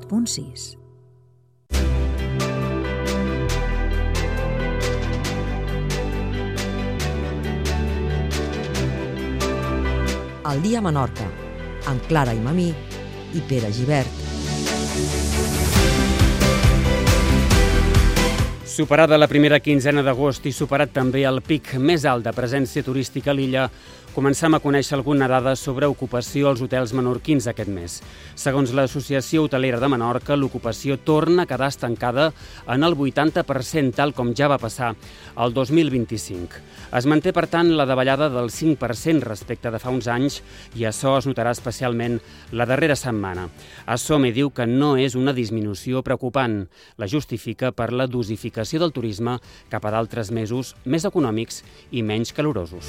107.6. El dia a Menorca, amb Clara i Mamí i Pere Gibert. Superada la primera quinzena d'agost i superat també el pic més alt de presència turística a l'illa, començam a conèixer alguna dada sobre ocupació als hotels menorquins aquest mes. Segons l'Associació Hotelera de Menorca, l'ocupació torna a quedar estancada en el 80%, tal com ja va passar el 2025. Es manté, per tant, la davallada del 5% respecte de fa uns anys i això es notarà especialment la darrera setmana. Assome diu que no és una disminució preocupant. La justifica per la dosificació del turisme cap a d'altres mesos més econòmics i menys calorosos.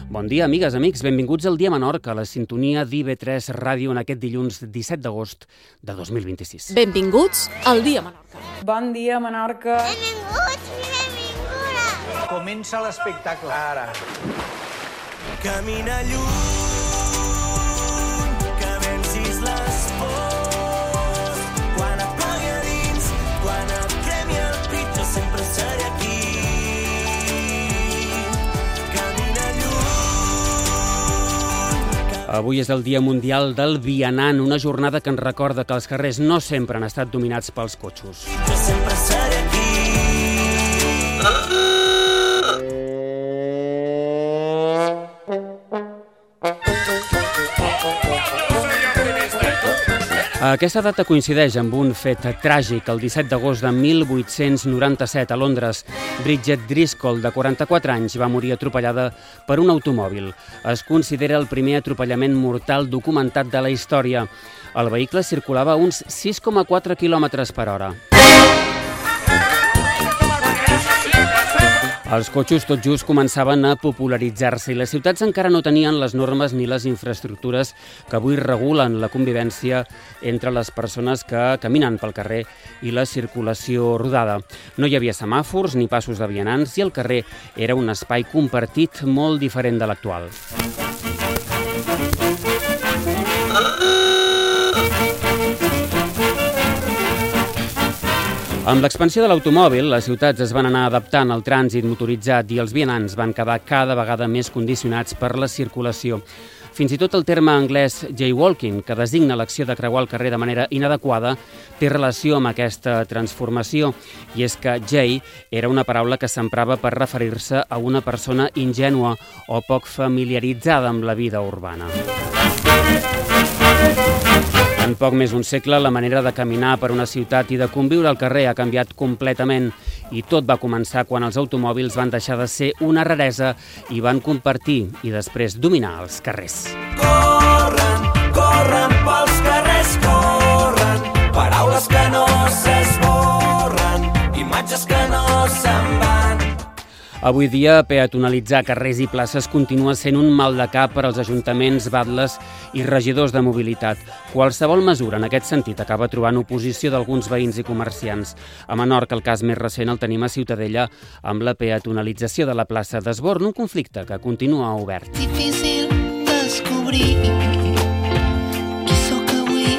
Bon dia, amigues, amics. Benvinguts al Dia Menorca, a la sintonia d'IV3 Ràdio en aquest dilluns 17 d'agost de 2026. Benvinguts al Dia Menorca. Bon dia, Menorca. Benvinguts i benvingudes. Comença l'espectacle, ara. Camina lluny, que vencis les pors. Quan et plogui a dins, quan et cremi el pit, jo sempre seré aquí. Avui és el Dia Mundial del Vianant, una jornada que ens recorda que els carrers no sempre han estat dominats pels cotxos. Jo sempre seré aquí. Aquesta data coincideix amb un fet tràgic. El 17 d'agost de 1897 a Londres, Bridget Driscoll, de 44 anys, va morir atropellada per un automòbil. Es considera el primer atropellament mortal documentat de la història. El vehicle circulava a uns 6,4 km per hora. Els cotxos tot just començaven a popularitzar-se i les ciutats encara no tenien les normes ni les infraestructures que avui regulen la convivència entre les persones que caminen pel carrer i la circulació rodada. No hi havia semàfors ni passos de vianants i el carrer era un espai compartit molt diferent de l'actual. Amb l'expansió de l'automòbil, les ciutats es van anar adaptant al trànsit motoritzat i els vianants van quedar cada vegada més condicionats per la circulació. Fins i tot el terme anglès jaywalking, que designa l'acció de creuar el carrer de manera inadequada, té relació amb aquesta transformació. I és que jay era una paraula que s'emprava per referir-se a una persona ingènua o poc familiaritzada amb la vida urbana. En poc més d'un segle, la manera de caminar per una ciutat i de conviure al carrer ha canviat completament i tot va començar quan els automòbils van deixar de ser una raresa i van compartir i després dominar els carrers. Corren, corren pels carrers, corren. Paraules que no s'esborren, imatges que no se'n van. Avui dia, peatonalitzar carrers i places continua sent un mal de cap per als ajuntaments, batles i regidors de mobilitat. Qualsevol mesura en aquest sentit acaba trobant oposició d'alguns veïns i comerciants. A Menorca, el cas més recent el tenim a Ciutadella amb la peatonalització de la plaça d'Esborn, un conflicte que continua obert. Difícil descobrir qui sóc avui.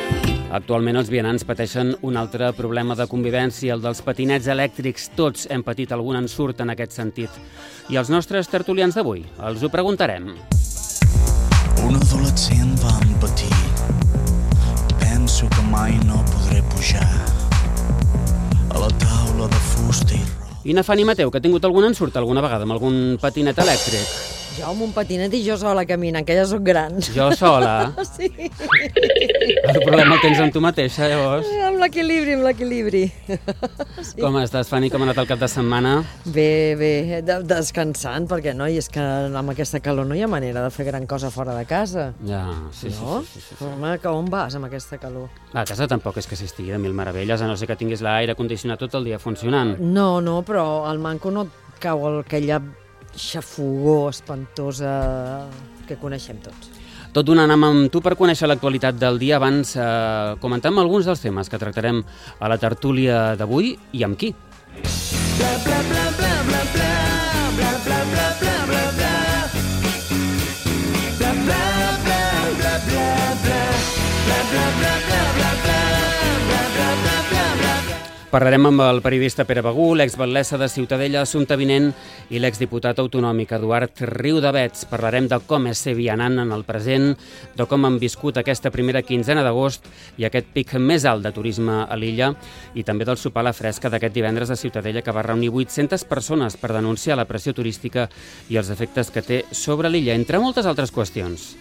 Actualment els vianants pateixen un altre problema de convivència, el dels patinets elèctrics. Tots hem patit algun ensurt en aquest sentit. I els nostres tertulians d'avui els ho preguntarem. Un adolescent va empatir. Penso que mai no podré pujar a la taula de fusta i roba. I Nafani Mateu, que ha tingut algun ensurt alguna vegada amb algun patinet elèctric? Jo amb un patinet i jo sola caminant, que ja soc gran. Jo sola? Sí. El problema el tens amb tu mateixa, llavors. Amb l'equilibri. Sí. Com estàs, Fanny? Com ha anat el cap de setmana? Bé, descansant, perquè no, i és que amb aquesta calor no hi ha manera de fer gran cosa fora de casa. Ja, sí. Home, que on vas amb aquesta calor? A casa tampoc és que s'estigui de mil meravelles, a no ser que tinguis l'aire condicionat tot el dia funcionant. No, però al manco no et cau aquella xafogor espantosa que coneixem tots. Tot donant amb tu per conèixer l'actualitat del dia. Abans comentem alguns dels temes que tractarem a la tertúlia d'avui i amb qui. Bla, bla, bla, bla, bla, bla. Parlarem amb el periodista Pere Begú, l'exbatllessa de Ciutadella, Assumpta Vinent, i l'exdiputat autonòmic Eduard Riudavets. Parlarem de com és ser vianant en el present, de com han viscut aquesta primera quinzena d'agost i aquest pic més alt de turisme a l'illa, i també del sopar a la fresca d'aquest divendres a Ciutadella, que va reunir 800 persones per denunciar la pressió turística i els efectes que té sobre l'illa, entre moltes altres qüestions.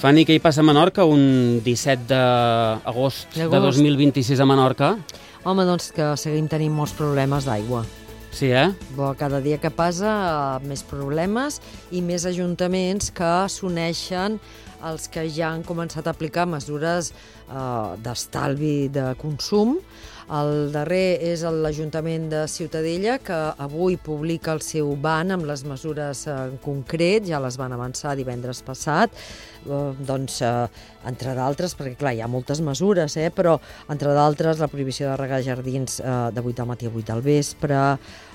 Fanny, què hi passa a Menorca un 17 d'agost de 2026 a Menorca? Home, doncs que seguim tenint molts problemes d'aigua. Sí, eh? Cada dia que passa, més problemes i més ajuntaments que s'uneixen els que ja han començat a aplicar mesures d'estalvi de consum. El darrer és l'Ajuntament de Ciutadella, que avui publica el seu ban amb les mesures en concret, ja les van avançar divendres passat, entre d'altres, perquè clar, hi ha moltes mesures, però entre d'altres la prohibició de regar jardins de 8 del matí a 8 del vespre,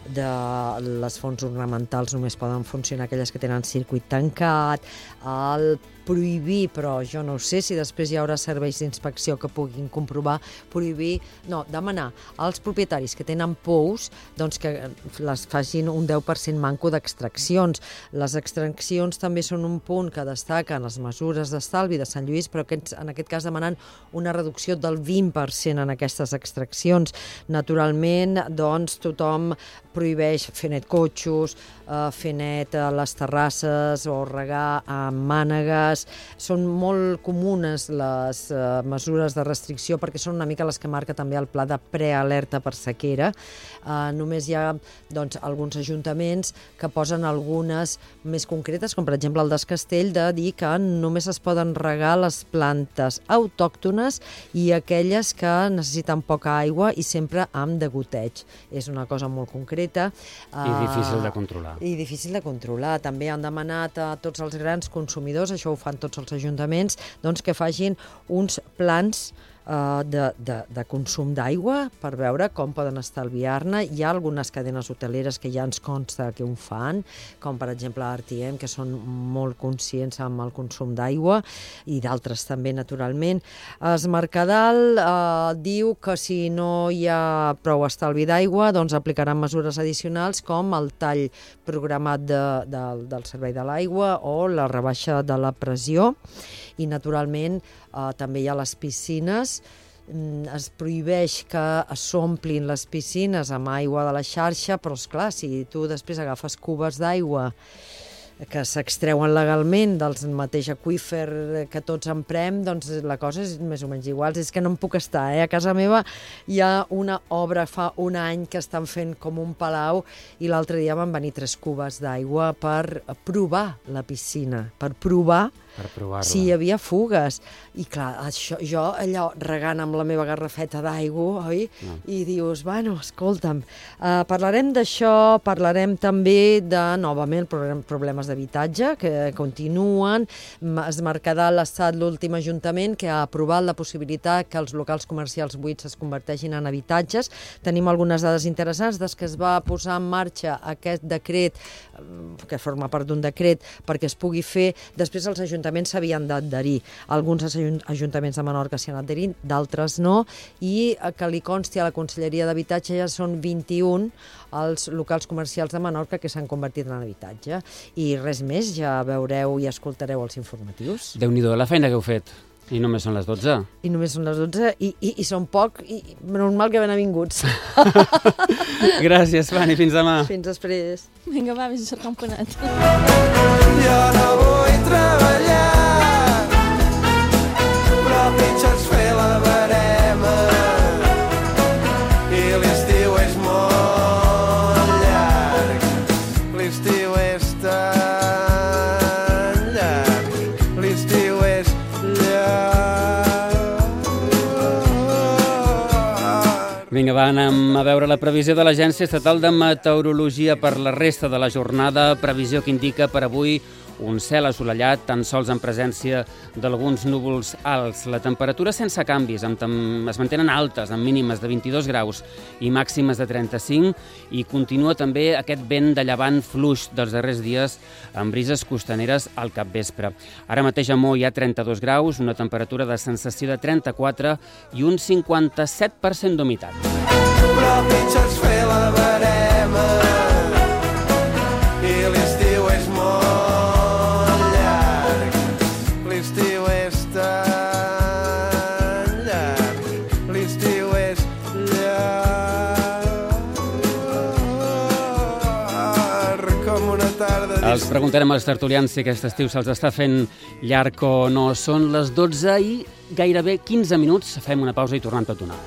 de les fonts ornamentals només poden funcionar aquelles que tenen circuit tancat, el prohibir, però jo no sé si després hi haurà serveis d'inspecció que puguin comprovar, demanar als propietaris que tenen pous doncs que les facin un 10% manco d'extraccions. Les extraccions també són un punt que destaquen les mesures d'estalvi de Sant Lluís, però en aquest cas demanant una reducció del 20% en aquestes extraccions. Naturalment, doncs, tothom prohibeix fer net cotxos, fer net a les terrasses o regar amb mànegues. Són molt comunes les mesures de restricció perquè són una mica les que marca també el pla de prealerta per sequera. Només hi ha alguns ajuntaments que posen algunes més concretes, com per exemple el d'Escastell, de dir que només es poden regar les plantes autòctones i aquelles que necessiten poca aigua i sempre amb degoteig. És una cosa molt concreta. I difícil de controlar. I difícil de controlar. També han demanat a tots els grans consumidors, això ho fan tots els ajuntaments, que facin uns plans de consum d'aigua per veure com poden estalviar-ne. Hi ha algunes cadenes hoteleres que ja ens consta que ho fan, com per exemple RTM, que són molt conscients amb el consum d'aigua, i d'altres també, naturalment. Es Mercadal diu que si no hi ha prou estalvi d'aigua, doncs aplicaran mesures addicionals com el tall programat del servei de l'aigua o la rebaixa de la pressió. I, naturalment, també hi ha les piscines. Es prohibeix que s'omplin les piscines amb aigua de la xarxa, però, esclar, si tu després agafes cubes d'aigua que s'extreuen legalment del mateix aqüífer que tots emprem, doncs la cosa és més o menys igual. És que no em puc estar, A casa meva hi ha una obra fa un any que estan fent com un palau i l'altre dia van venir 3 cubes d'aigua per provar la piscina, per provar si hi havia fugues. I clar, jo allò regant amb la meva garrafeta d'aigua, oi? No. I dius, escolta'm, parlarem d'això, parlarem també de, novament, problemes d'habitatge que continuen. Es Mercadal ha estat l'últim ajuntament que ha aprovat la possibilitat que els locals comercials buits es converteixin en habitatges. Tenim algunes dades interessants des que es va posar en marxa aquest decret, que forma part d'un decret, perquè es pugui fer. Després els ajuntaments s'havien d'adherir. Alguns ajuntaments de Menorca s'hi han adherit, d'altres no, i que li consti a la Conselleria d'Habitatge ja són 21 els locals comercials de Menorca que s'han convertit en habitatge. I res més, ja veureu i escoltareu els informatius. Déu-n'hi-do la feina que heu fet. I només són les 12. I només són les 12 i són poc, i normal que benvinguts. Gràcies, Fanny, fins demà. Fins després. Vinga, va, vés a cercar un panet. Jo no vull treballar, però pitjor és fer la verema, i l'estiu és molt llarg, l'estiu és tan llarg, l'estiu és Vinga, va, anem a veure la previsió de l'Agència Estatal de Meteorologia per la resta de la jornada. Previsió que indica per avui un cel assolellat, tan sols en presència d'alguns núvols alts. La temperatura sense canvis, es mantenen altes, amb mínimes de 22 graus i màximes de 35, i continua també aquest vent de llevant fluix dels darrers dies amb brises costaneres al capvespre. Ara mateix a Mo hi ha 32 graus, una temperatura de sensació de 34 i un 57% d'humitat. Però pitjor és fer la verema i l'estiu és molt llarg. L'estiu és tan llarg. L'estiu és llarg com una tarda. Els preguntarem als tertulians si aquest estiu se'ls està fent llarg o no. Són les 12 i gairebé 15 minuts. Fem una pausa i tornem tot d'una.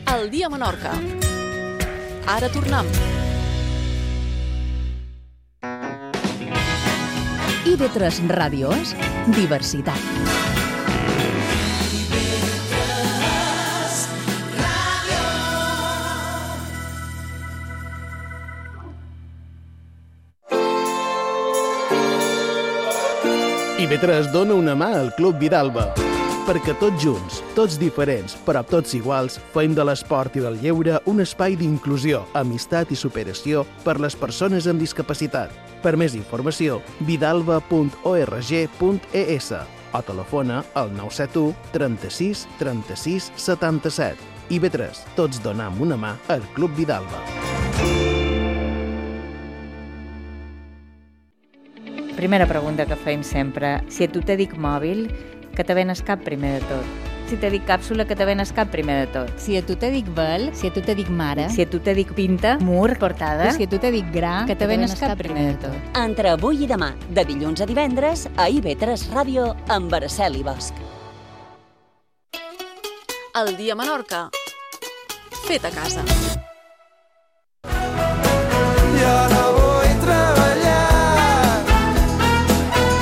El dia a Menorca. Ara tornem. IB3 Ràdio és diversitat. IB3 dona una mà al Club Vidalba, perquè tots junts, tots diferents, però tots iguals, fem de l'esport i del lleure un espai d'inclusió, amistat i superació per les persones amb discapacitat. Per més informació, vidalba.org.es o telefona al 971 36 36 77. IB3, tots donam una mà al Club Vidalba. Primera pregunta que fem sempre. Si a tu te dic mòbil, que te venes cap primer de tot. Si te dic càpsula, que te venes cap primer de tot. Si a tu te dic vel, si a tu te dic mare, si a tu te dic pinta, mur, portada, si a tu te dic gra, que te venes cap primer de tot. Entre avui i demà, de dilluns a divendres, a IB3 Ràdio, amb Araceli Bosch. El dia a Menorca. Fet a casa. Jo no vull treballar,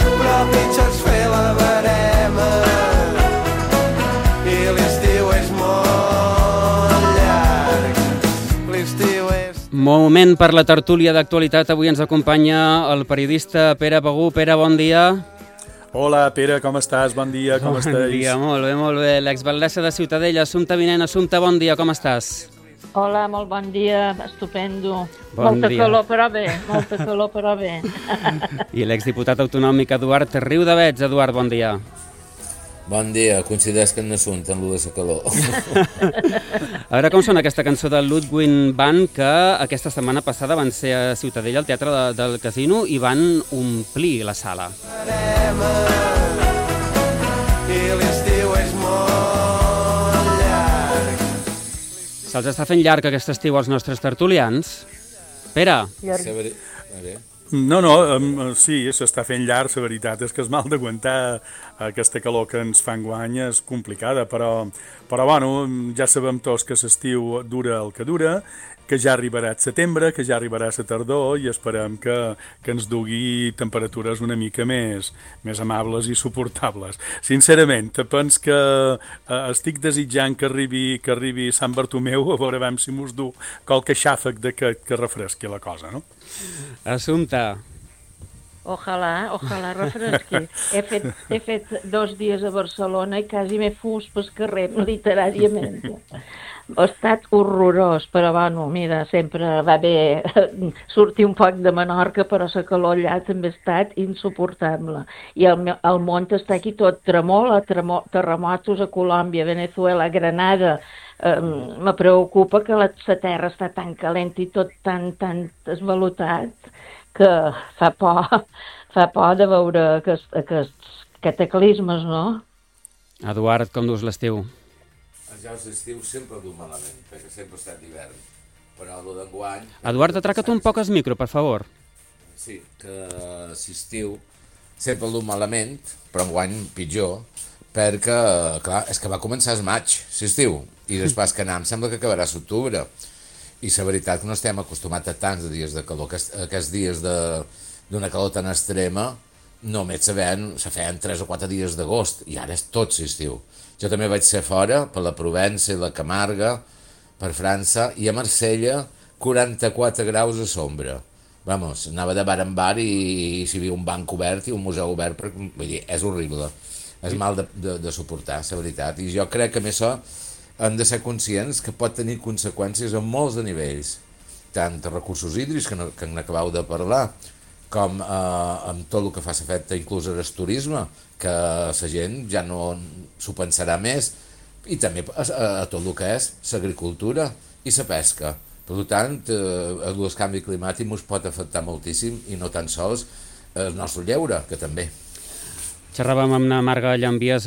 però pitjor és fer la verema i l'estiu és molt llarg. L'estiu és... Moment per la tertúlia d'actualitat. Avui ens acompanya el periodista Pere Begú. Pere, bon dia. Hola, Pere, com estàs? Bon dia, com estàs? Bon dia, molt bé, molt bé. L'exalcaldessa de Ciutadella, Assumpta Vinent. Assumpta, bon dia, com estàs? Hola, molt bon dia, estupendo. Molta calor, però bé, molta calor, però bé. I l'exdiputat autonòmic Eduard Riudavets. Eduard, bon dia. Bon dia, coincideix que no sunt en lo de la calor. A veure com sona aquesta cançó de Ludwig Band, que aquesta setmana passada van ser a Ciutadella, al Teatre del Casino, i van omplir la sala. I l'estiu és molt llarg. Se'ls està fent llarg aquest estiu als nostres tertulians? Pere? No, sí, s'està fent llarg, la veritat és que és mal d'aguantar aquesta calor que ens fa enguany, és complicada, però bueno, ja sabem tots que l'estiu dura el que dura, que ja arribarà el setembre, que ja arribarà la tardor i esperem que ens dugui temperatures una mica més amables i suportables. Sincerament, penso que estic desitjant que arribi Sant Bartomeu, a veure si mos du qualque xàfec que refresqui la cosa, no? Assumpta. Ojalà refresqui. He fet 2 dies a Barcelona i quasi m'he fus pel carrer, literàriament. Ha estat horrorós, però bueno, mira, sempre va bé sortir un poc de Menorca, però la calor allà també ha estat insuportable. I el món està aquí tot tremola, terremotos a Colòmbia, Venezuela, Granada. Me preocupa que la terra està tan calent i tot tan esvalotat que fa por de veure aquests cataclismes, no? Eduard, com dus l'estiu? Ja l'estiu sempre du malament, perquè sempre ha estat d'hivern, però el d'enguany... Eduard, atraca't un poc el micro, per favor. Sí, que l'estiu sempre el du malament, però enguany pitjor, perquè, clar, és que va començar el maig, l'estiu, i després que anem sembla que acabarà l'octubre. I la veritat que no estem acostumats a tants dies de calor, aquests dies d'una calor tan extrema, només se feien 3 o 4 dies d'agost, i ara és tot estiu. Jo també vaig ser fora, per la Provença i la Camarga, per França, i a Marsella 44 graus a sombra. Vamos, anava de bar en bar i si hi havia un banc obert i un museu obert, vull dir, és horrible. És mal de suportar, la veritat. I jo crec que amb això hem de ser conscients que pot tenir conseqüències a molts de nivells, tant de recursos hídrics, que n'acabeu de parlar, com amb tot el que fa l'efecte inclús al turisme, que la gent ja no s'ho pensarà més, i també a tot el que és l'agricultura i la pesca. Per tant, el canvi climàtic ens pot afectar moltíssim, i no tan sols el nostre lleure, que també. Xerràvem amb la Marga Llambies,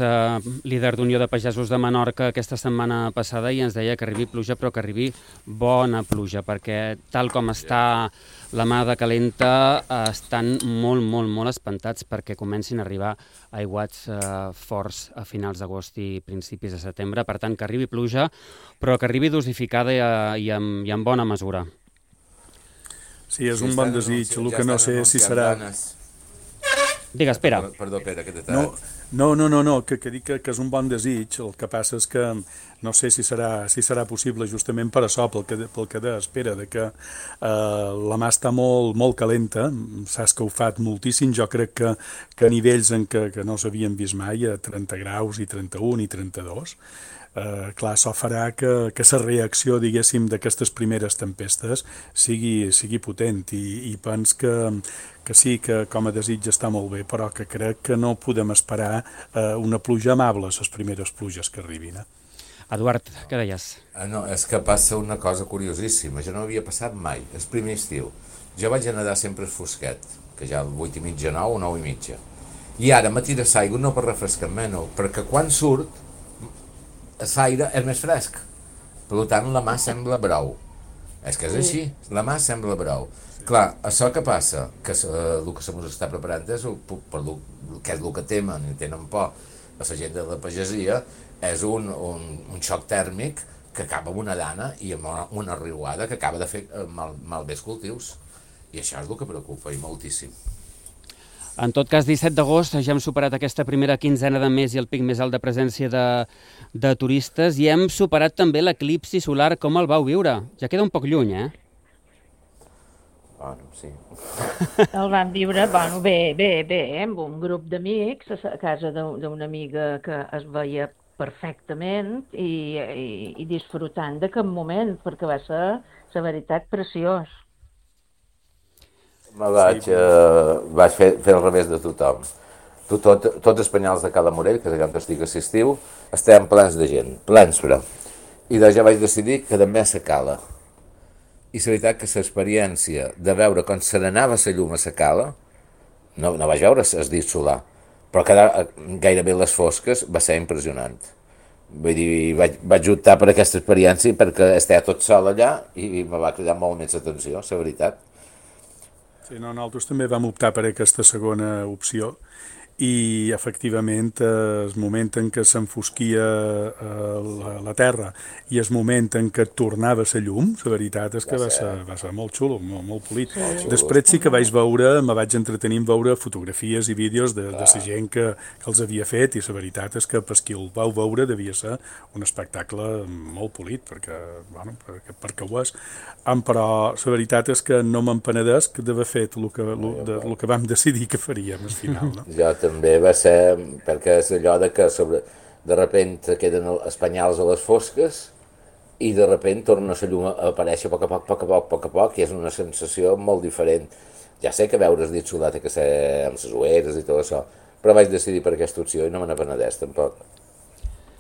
líder d'Unió de Pagesos de Menorca, aquesta setmana passada, i ens deia que arribi pluja, però que arribi bona pluja, perquè tal com està la mà de calenta, estan molt espantats perquè comencin a arribar aiguats forts a finals d'agost i principis de setembre. Per tant, que arribi pluja, però que arribi dosificada i en bona mesura. Sí, és un bon desig, el que no sé si serà... Digues, Pere. Perdó, Pere, que t'he tallat. No, que dic que és un bon desig, el que passa és que no sé si serà possible justament per això, pel que d'espera, que la mà està molt calenta, s'ha escalfat moltíssim, jo crec que a nivells en que no s'havien vist mai, a 30 graus i 31 i 32, clar, això farà que la reacció, diguéssim, d'aquestes primeres tempestes sigui potent, i pens que sí, que com a desig està molt bé, però que crec que no podem esperar una pluja amable, les primeres pluges que arribin. Eduard, què deies? No, és que passa una cosa curiosíssima, jo no havia passat mai, el primer estiu. Jo vaig a nedar sempre al fosquet, que ja al 8:30, 9 o 9:30. I ara me tira l'aigua no per refrescar-me, no, perquè quan surt l'aire és més fresc. Per tant, la mà sembla brou. És que és així, la mà sembla brou. Clar, això que passa, que el que se mos està preparant és que és el que temen i tenen por a la gent de la pagesia, és un xoc tèrmic que acaba amb una dana i amb una riuada que acaba de fer malbé els cultius. I això és el que preocupa, i moltíssim. En tot cas, 17 d'agost ja hem superat aquesta primera quinzena de mes i el pic més alt de presència de turistes, i hem superat també l'eclipsi solar. Com el vau viure? Ja queda un poc lluny, eh? Bueno, sí. El vam viure, bueno, bé, amb un grup d'amics a casa d'una amiga que es veia perfectament i disfrutant de cap moment, perquè va ser, la veritat, preciós. Vaig fer al revés de tothom. Tots els penyals de Cala Morell, que és allà on estic a l'estiu, estem plens de gent, plens però. I ja vaig decidir que també a la cala. I la veritat que l'experiència de veure com se n'anava la llum a la cala, no vaig veure el dit solar, però quedar gairebé les fosques va ser impressionant. Vull dir, vaig optar per aquesta experiència perquè estava tot sol allà i me va cridar molt més atenció, la veritat. Sí, nosaltres també vam optar per aquesta segona opció, i efectivament el moment en què s'enfosquia la terra i el moment en què tornava la llum, la veritat és que va ser molt xulo, molt polit. Després sí que me vaig entretenir en veure fotografies i vídeos de la gent que els havia fet, i la veritat és que per qui el vau veure devia ser un espectacle molt polit, perquè ho és. Però la veritat és que no m'empenedesc d'haver fet el que vam decidir que faríem al final. No? Jo també va ser, perquè és allò de que de repente queden els penyals a les fosques i de repente torna la llum a aparèixer a poc a poc, i és una sensació molt diferent. Ja sé que veure el dit solar té que ser amb les ulleres i tot això, però vaig decidir per aquesta opció i no me n'apenedeix tampoc.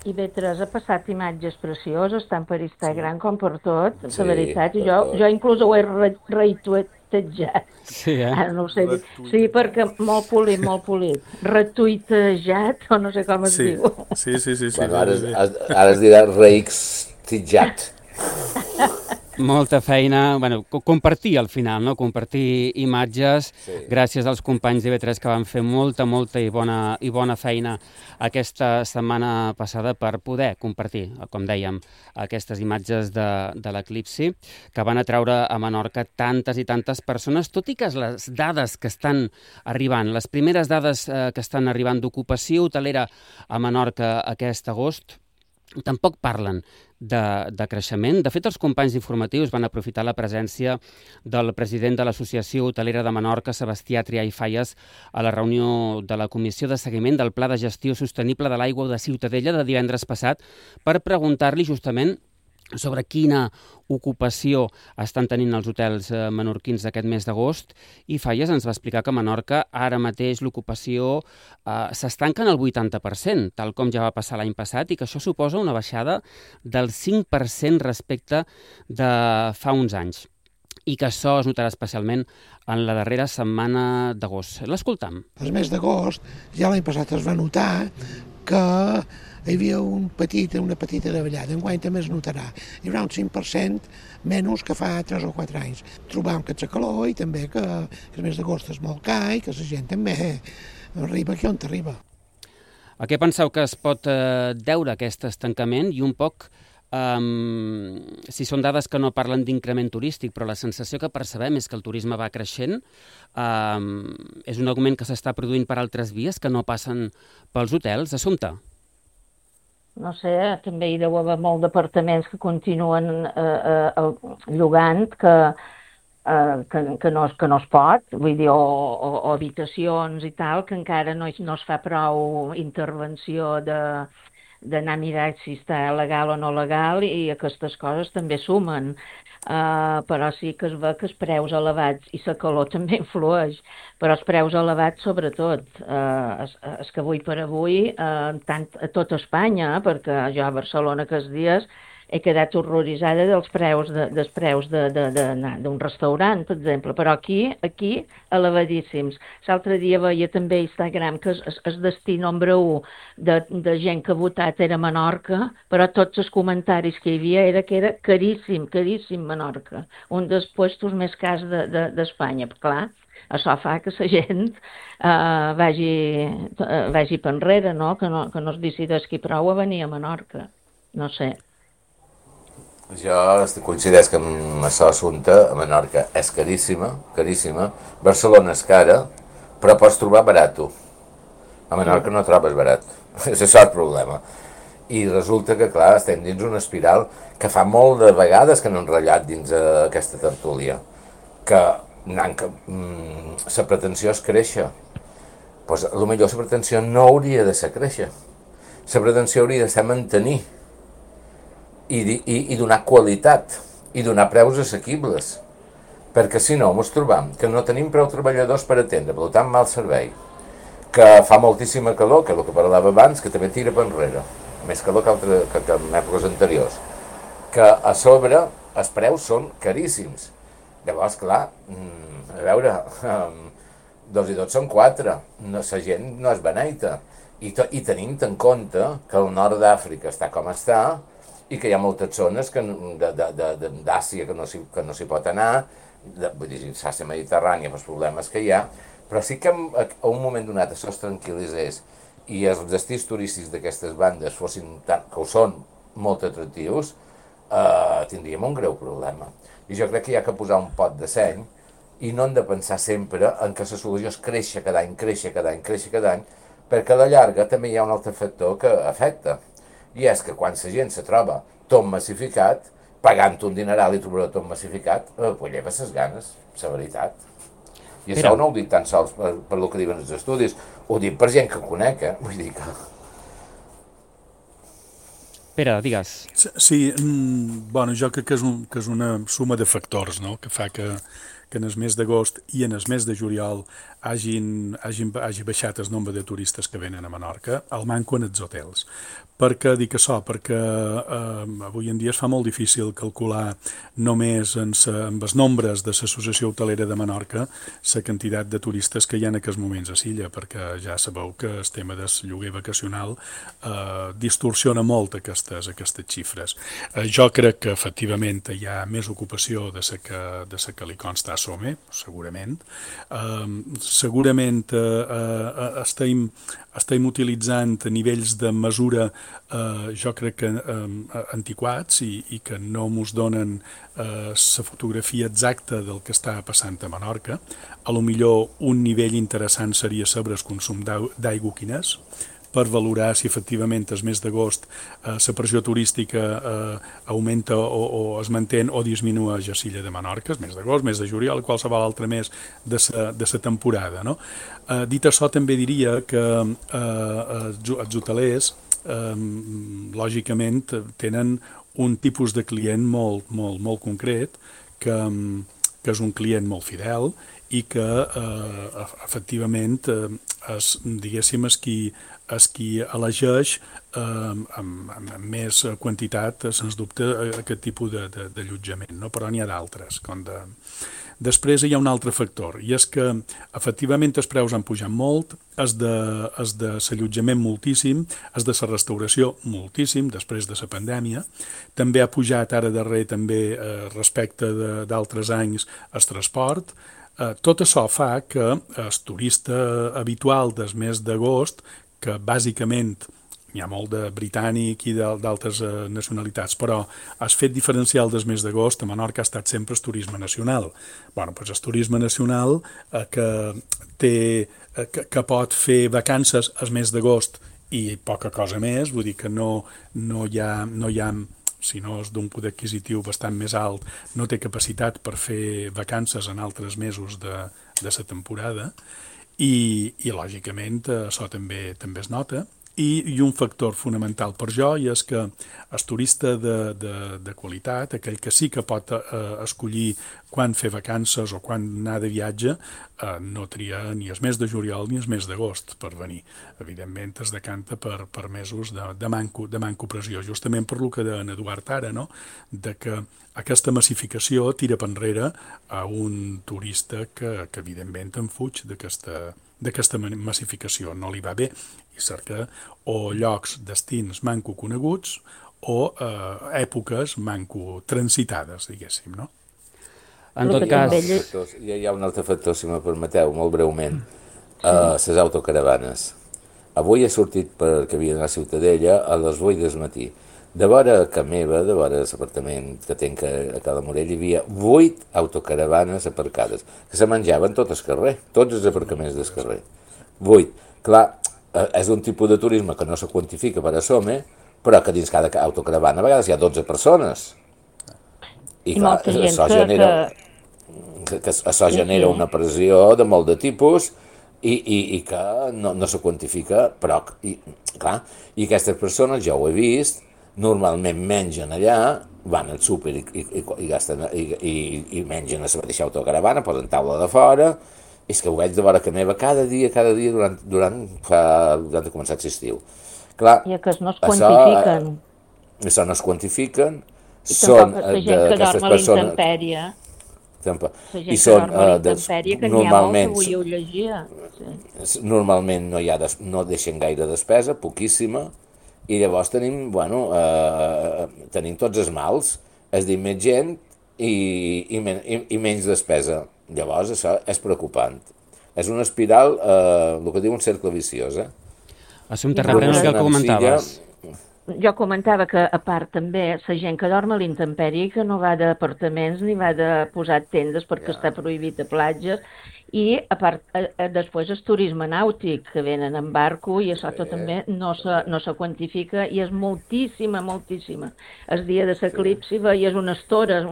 I bé, Teresa, ha passat imatges precioses, tant per Instagram com per tot, la veritat, i jo inclús ho he retuitejat. Sí, Ara no ho sé dir. Sí, perquè molt polit. Retuitejat, o no sé com es diu. Sí. Bueno, ara es dirà reixtejat. Molta feina, bueno, compartir al final, no? Compartir imatges, gràcies als companys d'IV3 que van fer molta i bona feina aquesta setmana passada per poder compartir, com dèiem, aquestes imatges de l'eclipsi que van atraure a Menorca tantes i tantes persones, tot i que les dades que estan arribant, les primeres dades que estan arribant d'ocupació hotelera a Menorca aquest agost, tampoc parlen de creixement. De fet, els companys informatius van aprofitar la presència del president de l'Associació Hotelera de Menorca, Sebastià Trià i Falles, a la reunió de la Comissió de Seguiment del Pla de Gestió Sostenible de l'Aigua de Ciutadella de divendres passat per preguntar-li justament sobre quina ocupació estan tenint els hotels menorquins aquest mes d'agost, i Falles ens va explicar que a Menorca ara mateix l'ocupació s'estanca en el 80%, tal com ja va passar l'any passat, i que això suposa una baixada del 5% respecte de fa uns anys, i que això es notarà especialment en la darrera setmana d'agost. L'escoltam. El mes d'agost, ja l'any passat es va notar que hi havia una petita davallada. Enguany també es notarà. Hi haurà un 5% menys que fa 3 o 4 anys. Trobam que ets a calor i també que el mes d'agost és molt car i que la gent també arriba aquí on t'arriba. A què penseu que es pot deure aquest estancament i un poc, si són dades que no parlen d'increment turístic, però la sensació que percebem és que el turisme va creixent, és un augment que s'està produint per altres vies que no passen pels hotels? Assumpta? No sé, també hi deu haver molts departaments que continuen llogant que no es pot, vull dir, o habitacions i tal, que encara no es fa prou intervenció d'anar a mirar si està legal o no legal, i aquestes coses també sumen. Però sí que es ve que els preus elevats, i la calor també influeix, però els preus elevats sobretot, és que avui per avui, tant a tot Espanya, perquè jo a Barcelona aquests dies he quedat horroritzada dels preus d'un restaurant, per exemple, però aquí elevadíssims. L'altre dia veia també a Instagram que el destí nombre 1 de gent que ha votat era Menorca, però tots els comentaris que hi havia era que era caríssim Menorca, un dels puestos més cars d'Espanya. Clar, això fa que la gent vagi per enrere, no? Que no es decideixi prou a venir a Menorca. No sé. Jo coincideix que amb això assumpte a Menorca és caríssima. Barcelona és cara, però pots trobar barato. A Menorca no trobes barat. És això el problema. I resulta que, clar, estem dins una espiral que fa molt de vegades que no han ratllat dins aquesta tertúlia. Que la pretensió és créixer. Doncs potser la pretensió no hauria de ser créixer. La pretensió hauria de ser mantenir i donar qualitat i donar preus assequibles, perquè si no ens trobam que no tenim prou treballadors per atendre, per tant mal servei, que fa moltíssima calor, que és el que parlava abans, que també tira per enrere, més calor que en èpoques anteriors, que a sobre els preus són caríssims. Llavors, clar, a veure, 2 i 2 són 4, la gent no és beneita, i tenim en compte que el nord d'Àfrica està com està, i que hi ha moltes zones d'Àsia que no s'hi pot anar, vull dir, l'Àsia mediterrània pels problemes que hi ha, però sí que a un moment donat això es tranquil·litzés i els destins turístics d'aquestes bandes fossin tant, que ho són, molt atractius, tindríem un greu problema. I jo crec que hi ha que posar un pot de seny i no hem de pensar sempre en que la solució és créixer cada any, perquè a la llarga també hi ha un altre factor que afecta. I és que quan la gent se troba tot massificat, pagant un dineral i trobar tot massificat, pues lleva les ganes, la veritat. I això no ho dic tan sols per el que diuen els estudis, ho dic per gent que conec, vull dir que... Pere, digues. Sí, bueno, jo crec que és una suma de factors, no?, que fa que que en el mes d'agost i en el mes de juliol hagi baixat el nombre de turistes que venen a Menorca, al manco en els hotels. Per què dic això? Perquè avui en dia es fa molt difícil calcular només amb els nombres de l'Associació Hotelera de Menorca la quantitat de turistes que hi ha en aquests moments a l'illa, perquè ja sabeu que el tema del lloguer vacacional distorsiona molt aquestes xifres. Jo crec que efectivament hi ha més ocupació de la que li consta a Some, segurament. Segurament estem utilitzant nivells de mesura jo crec que antiquats i que no mos donen la fotografia exacta del que està passant a Menorca. A lo millor un nivell interessant seria saber el consum d'aigua quin és, per valorar si efectivament el mes d'agost la pressió turística augmenta o es manté o disminueix a l'illa de Menorca, el mes d'agost, mes de juliol, qualsevol altre mes de la temporada. No? Dit això, també diria que els hotelers lògicament tenen un tipus de client molt concret que és un client molt fidel i que efectivament diguéssim és qui elegeix amb més quantitat, sens dubte, aquest tipus d'allotjament, no? Però n'hi ha d'altres. Després hi ha un altre factor, i és que efectivament els preus han pujat molt, els de l'allotjament moltíssim, els de la restauració moltíssim, després de la pandèmia. També ha pujat ara darrer també respecte d'altres anys el transport. Tot això fa que el turista habitual del mes d'agost, que bàsicament n'hi ha molt de britànic i d'altres nacionalitats, però el fet diferencial del mes d'agost a Menorca ha estat sempre el turisme nacional. Bueno, doncs el turisme nacional que pot fer vacances al mes d'agost i poca cosa més, vull dir que no hi ha si no és d'un poder adquisitiu bastant més alt, no té capacitat per fer vacances en altres mesos de la temporada i lògicament això també es nota. I un factor fonamental per jo és que el turista de qualitat, aquell que sí que pot escollir quan fer vacances o quan anar de viatge, no tria ni el mes de juliol ni el mes d'agost per venir. Evidentment es decanta per mesos de manco pressió, justament per lo que deia en Eduard ara, no? De que aquesta massificació tira per enrere a un turista que evidentment en fuig d'aquesta massificació, no li va bé i cerca o llocs, destins manco coneguts o èpoques manco transitades, diguéssim, no? En tot cas... Hi ha un altre factor, si me permeteu, molt breument, les autocaravanes. Avui he sortit perquè havia d'anar a Ciutadella a les 8 del matí. De vora a meva, de vora l'apartament que tenc a Cala Morell, hi havia 8 autocaravanes aparcades, que se menjaven tot el carrer, tots els aparcaments del carrer. 8. Clar, és un tipus de turisme que no se quantifica per a Some, però que dins cada autocaravana a vegades hi ha 12 persones. I clar, això genera una pressió de molt de tipus i que no se quantifica, però, clar, i aquestes persones, jo ho he vist, normalment mengen allà, van al súper i mengen a la mateixa autocaravana, posen taula de fora, i és que ho veig de vora que meva cada dia durant que començat l'estiu. Clar, i que no es quantifiquen. Això no es quantifiquen, i són d'aquestes persones... I són normalment... Normalment no deixen gaire despesa, poquíssima, i llavors tenim tots els mals, és dir, més gent i menys despesa. Llavors això és preocupant. És una espiral, el que diu un cercle viciós. Assumpte, reprèn el que comentaves. Jo comentava que, a part, també, la gent que dorm a l'intempèrie, que no va d'apartaments ni va de posar tendes perquè està prohibit a platges, i, a part, després el turisme nàutic, que venen en barco, i això també no se quantifica, i és moltíssima. El dia de l'eclipsi veies una estora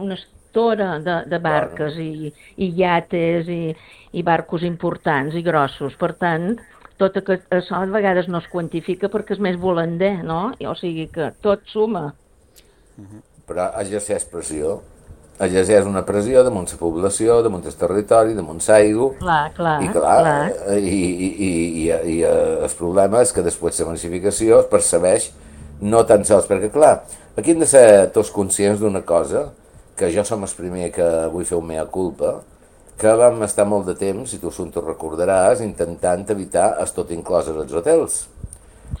de barques i iates i barcos importants i grossos. Per tant, tot això a vegades no es quantifica perquè és més volander, no? O sigui que tot suma. Però exerceix pressió exerceix una pressió damunt la població, damunt el territori, damunt l'aigua. I el problema és que després la massificació es percebeix no tan sols, perquè clar, aquí hem de ser tots conscients d'una cosa, que jo som el primer que vull fer un mea culpa, que vam estar molt de temps, si tu te'n recordaràs, intentant evitar el tot inclòs als hotels.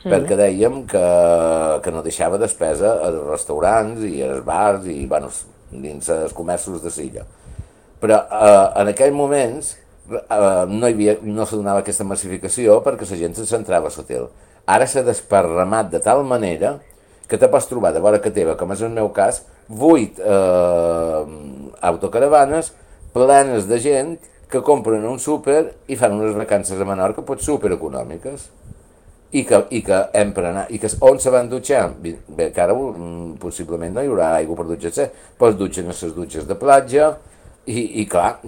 Sí. Perquè dèiem que no deixava despesa als restaurants i als bars i, bueno, dins els comerços de Silla. Però en aquells moments no se donava aquesta massificació perquè la gent se centrava a l'hotel. Ara s'ha desparramat de tal manera que te pots trobar de vora que teva, com és el meu cas, 8 autocaravanes plenes de gent que compren un súper i fan unes vacances a Menorca pot supereconòmiques i que hem per anar, i que on se van dutxar? Bé, que ara possiblement no hi haurà aigua per dutxar-se, però es dutxen a les dutxes de platja i clar,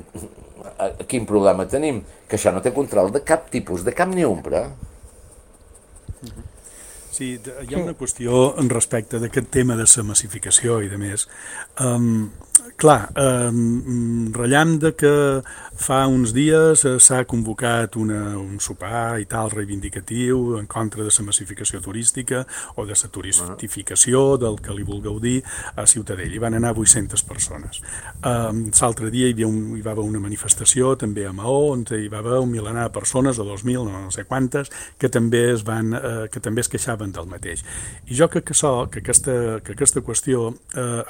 quin problema tenim? Que això no té control de cap tipus, de cap ni ombra. Sí, hi ha una qüestió respecte d'aquest tema de la massificació i de més. Clar, rellam de que fa uns dies s'ha convocat un sopar i tal reivindicatiu en contra de la massificació turística o de la turistificació del que li vulgueu dir a Ciutadella. Hi van anar 800 persones. L'altre dia hi va haver una manifestació també a Maó on hi va haver un milenar de persones o 2.000, no sé quantes, que també es queixaven del mateix. I jo crec que aquesta qüestió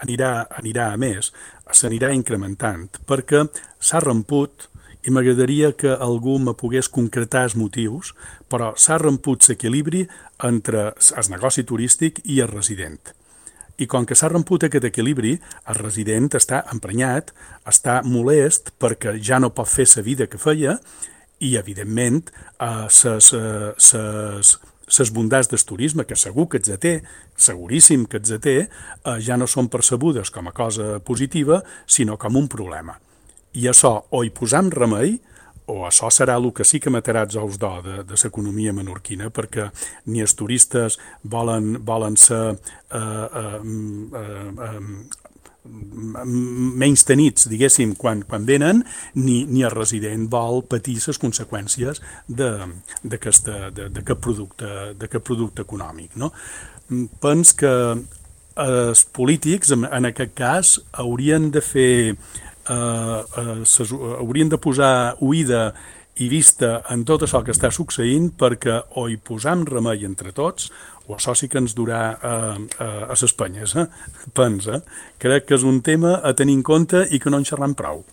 anirà a més, s'anirà incrementant, perquè s'ha romput, i m'agradaria que algú me pogués concretar els motius, però s'ha romput l'equilibri entre el negoci turístic i el resident. I com que s'ha romput aquest equilibri, el resident està emprenyat, està molest perquè ja no pot fer la vida que feia i, evidentment, les bondats del turisme, que segur que els té, seguríssim que els té, ja no són percebudes com a cosa positiva, sinó com un problema. I això o hi posam remei, o això serà el que sí que matarà els ous d'or de l'economia menorquina, perquè ni els turistes volen ser menys tenits, diguéssim, quan venen, ni el resident vol patir les conseqüències d'aquest producte econòmic. No? Pens que els polítics, en aquest cas, haurien de posar oïda i vista en tot això que està succeint perquè o hi posam remei entre tots o això sí que ens durà a les penyes. Pensa, crec que és un tema a tenir en compte i que no en xerram prou.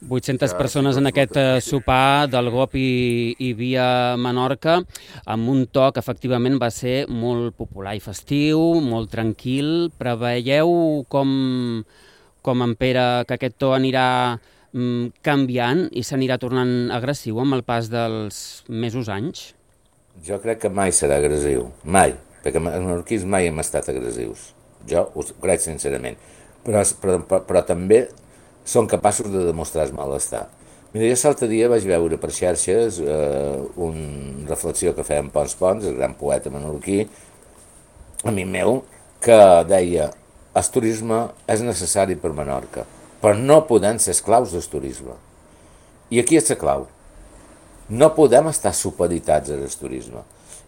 800 persones en aquest sopar del GOP i Via Menorca, amb un to que efectivament va ser molt popular i festiu, molt tranquil. Preveieu com en Pere que aquest to anirà canviant i s'anirà tornant agressiu amb el pas dels mesos anys? Jo crec que mai serà agressiu, mai, perquè els menorquins mai hem estat agressius. Jo ho crec sincerament, però també són capaços de demostrar el malestar. Mira, jo l'altre dia vaig veure per xarxes una reflexió que feia en Pons, el gran poeta menorquí, amic meu, que deia el turisme és necessari per Menorca, però no podem ser esclaus del turisme. I aquí és la clau. No podem estar supeditats al turisme.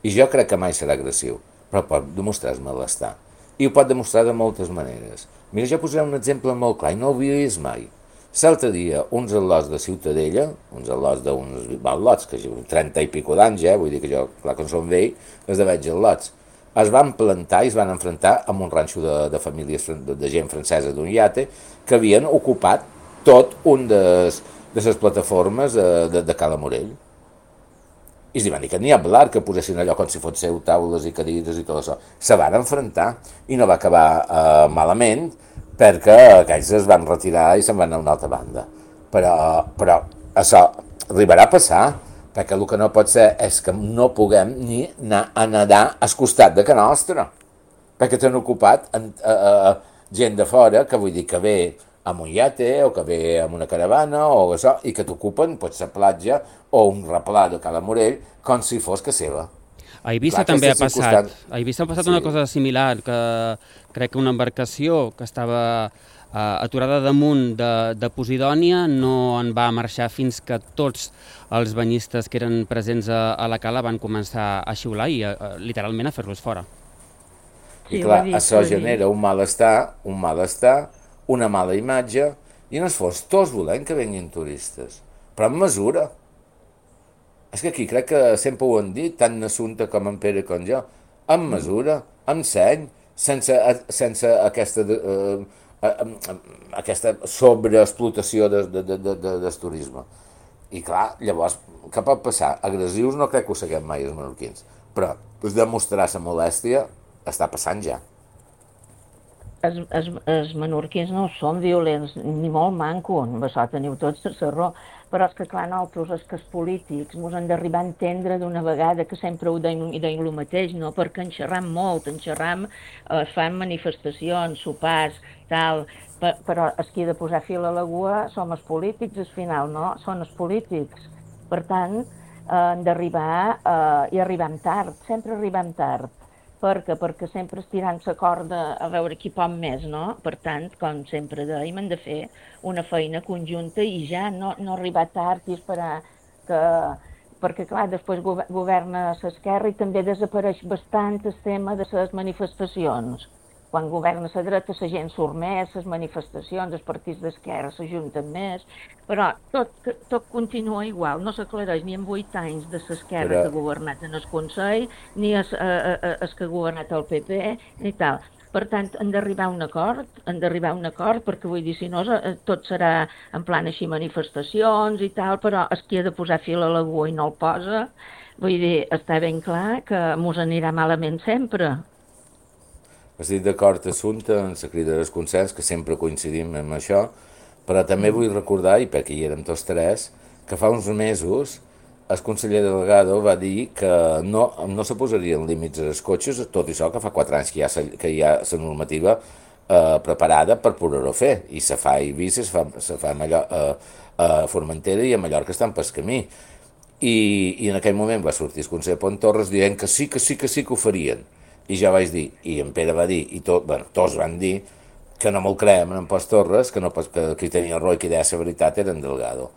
I jo crec que mai serà agressiu, però pot demostrar el malestar. I ho pot demostrar de moltes maneres. Mira, jo posaré un exemple molt clar, i no ho havia vist mai. L'altre dia, uns al·lots de Ciutadella, uns al·lots d'uns al·lots, que 30 i pico d'anys, vull dir que jo, clar que en som vell, els de veig al·lots, es van plantar i es van enfrontar amb un ranxo de famílies de gent francesa d'un iate que havien ocupat tot un de les plataformes de Cala Morell. I es van dir que n'hi ha hablar, que posessin allò com si fossin taules i cadires i tot això. Se van enfrontar i no va acabar malament perquè aquells es van retirar i se'n van a una altra banda. Però això arribarà a passar, perquè el que no pot ser és que no puguem ni anar a nedar al costat de casa nostra, perquè t'han ocupat gent de fora, que vull dir que ve amb un iate o que ve amb una caravana o això, i que t'ocupen potser la platja o un replà de Cala Morell com si fos que seva. A Eivissa també ha passat. A Eivissa ha passat una cosa similar, que crec que una embarcació que estava aturada damunt de Posidònia, no en va marxar fins que tots els banyistes que eren presents a la cala van començar a xiular i literalment a fer-los fora. I clar, això genera un malestar, una mala imatge, i no es fos tots volent que venguin turistes, però amb mesura. És que aquí crec que sempre ho han dit, tant Assumpta com en Pere com jo, amb mesura, amb seny, sense aquesta sobreexplotació del turisme. I clar, llavors, què pot passar? Agressius no crec que ho seguem mai els menorquins, però demostrar la molèstia està passant ja. Els menorquins no són violents, ni molt manco, això teniu tots la raó, però és que clar, nosaltres, és que els polítics ens han d'arribar a entendre d'una vegada que sempre ho deim el mateix, no? Perquè en xerram molt, fan manifestacions, sopars, tal, però els qui ha de posar fil a l'aigua som els polítics, al final, no? Són els polítics. Per tant, han d'arribar i arribem tard, sempre arribem tard. Perquè sempre estirant la corda a veure qui pot més, no? Per tant, com sempre dèiem, hem de fer una feina conjunta i ja no arribar tard i esperar que... Perquè, clar, després governa l'esquerra i també desapareix bastant el tema de les manifestacions. Quan governa la dreta, la gent surt més, les manifestacions, els partits d'esquerra s'ajunten més, però tot continua igual, no s'aclareix ni en 8 anys de l'esquerra que ha governat en el Consell, ni el que ha governat el PP, ni tal. Per tant, han d'arribar a un acord, perquè vull dir, si no, tot serà en plan així manifestacions i tal, però el qui ha de posar fil a l'aigua i no el posa, vull dir, està ben clar que mos anirà malament sempre. Estic d'acord, Assumpta, en la crida del consens, que sempre coincidim amb això, però també vull recordar, i perquè hi érem tots tres, que fa uns mesos el conseller Delgado va dir que no se posarien límits als cotxes, tot això que fa 4 anys que hi ha la normativa preparada per poder-ho fer, i se fa a Eivissa, se fa a Formentera i a Mallorca estan pel camí. I en aquell moment va sortir el conseller Pont Torres dient que sí que ho farien. I jo vaig dir, i en Pere va dir, i tots van dir, que no me'l creiem en Pont Torres, que qui tenia raó i qui deia la veritat era en Delgado.